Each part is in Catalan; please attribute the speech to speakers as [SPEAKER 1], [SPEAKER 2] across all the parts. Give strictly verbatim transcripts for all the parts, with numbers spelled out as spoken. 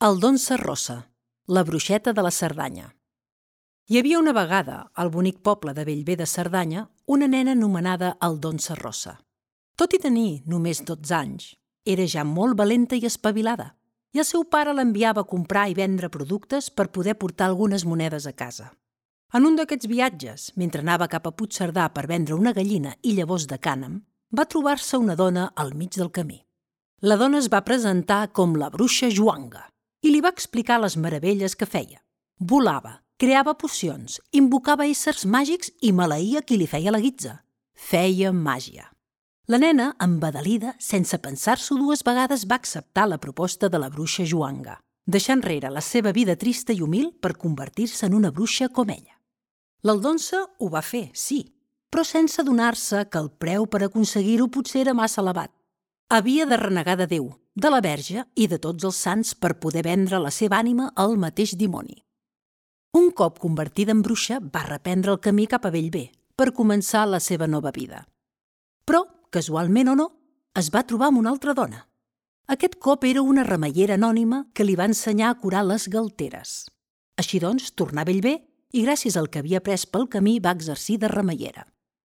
[SPEAKER 1] Aldonsa Rossa, la bruixeta de la Cerdanya. Hi havia una vegada, al bonic poble de Bellver de Cerdanya, una nena anomenada Aldonsa Rossa. Tot i tenir només dotze anys, era ja molt valenta i espavilada, i el seu pare l'enviava a comprar i vendre productes per poder portar algunes monedes a casa. En un d'aquests viatges, mentre anava cap a Puigcerdà per vendre una gallina i llavors de cànem, va trobar-se una dona al mig del camí. La dona es va presentar com la bruixa Joanga i li va explicar les meravelles que feia. Volava, creava pocions, invocava éssers màgics i maleïa qui li feia la guitza. Feia màgia. La nena, embadalida, sense pensar-s'ho dues vegades, va acceptar la proposta de la bruixa Joanga, deixant enrere la seva vida trista i humil per convertir-se en una bruixa com ella. L'Aldonsa ho va fer, sí, però sense adonar-se que el preu per aconseguir-ho potser era massa elevat. Havia de renegar de Déu, de la Verge i de tots els sants per poder vendre la seva ànima al mateix dimoni. Un cop convertida en bruixa, va reprendre el camí cap a Bellver per començar la seva nova vida. Però, casualment o no, es va trobar amb una altra dona. Aquest cop era una remeiera anònima que li va ensenyar a curar les galteres. Així doncs, tornà a Bellver i gràcies al que havia après pel camí va exercir de remeiera.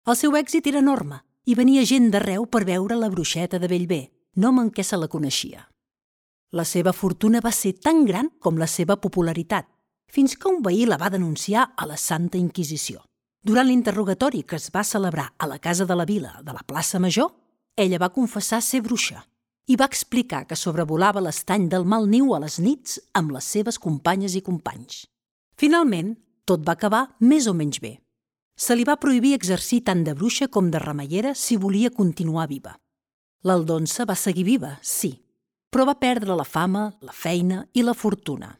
[SPEAKER 1] El seu èxit era enorme i venia gent d'arreu per veure la bruixeta de Bellver, nom en què se la coneixia. La seva fortuna va ser tan gran com la seva popularitat, fins que un veí la va denunciar a la Santa Inquisició. Durant l'interrogatori que es va celebrar a la Casa de la Vila de la plaça Major, ella va confessar ser bruixa i va explicar que sobrevolava l'estany del Mal Niu a les nits amb les seves companyes i companys. Finalment, tot va acabar més o menys bé. Se li va prohibir exercir tant de bruixa com de remeiera si volia continuar viva. L'Aldonsa va seguir viva, sí, però va perdre la fama, la feina i la fortuna.